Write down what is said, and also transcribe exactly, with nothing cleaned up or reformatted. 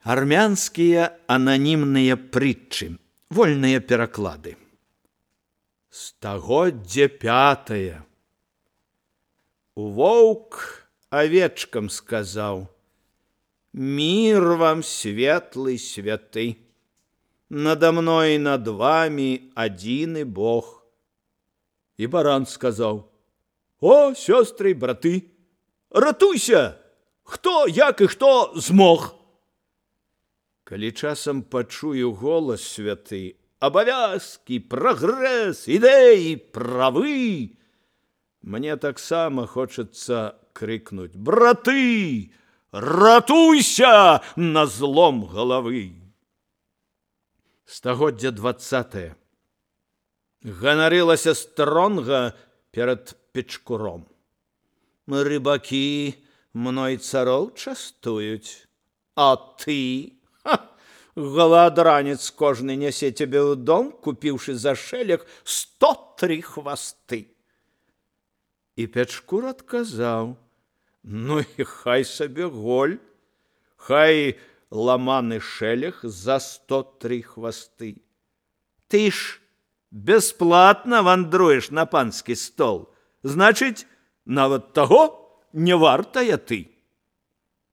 Армянскія ананімныя прытчы, вольныя пераклады. Стагоддзе пятае. Воўк авечкам сказаў: «Мир вам, светлый святы, надо мной и над вами один Бог». И баран сказал: «О, сестры и браты, ратуйся, хто, як и хто змог». Калі часам пачую голас святы, абавязкі, прагрэс, ідэі, правы, мне таксама хочацца крыкнуць: «Браты, ратуйся на злом галавы!» Стагоддзе дваццатае. Ганарылася стронга перад печкуром: «Рыбакі мной цароў частуюць, а ты, ха, галадранец кожны нясе цябе ў дом, купіўшы за шэлег сто тры хвасты». І печкур адказаў: «Ну і хай сабе голь, хай ламаны шэлег за сто тры хвасты. Ты ж бесплатна вандруеш на панскі стол, значыць, нават таго не вартая ты».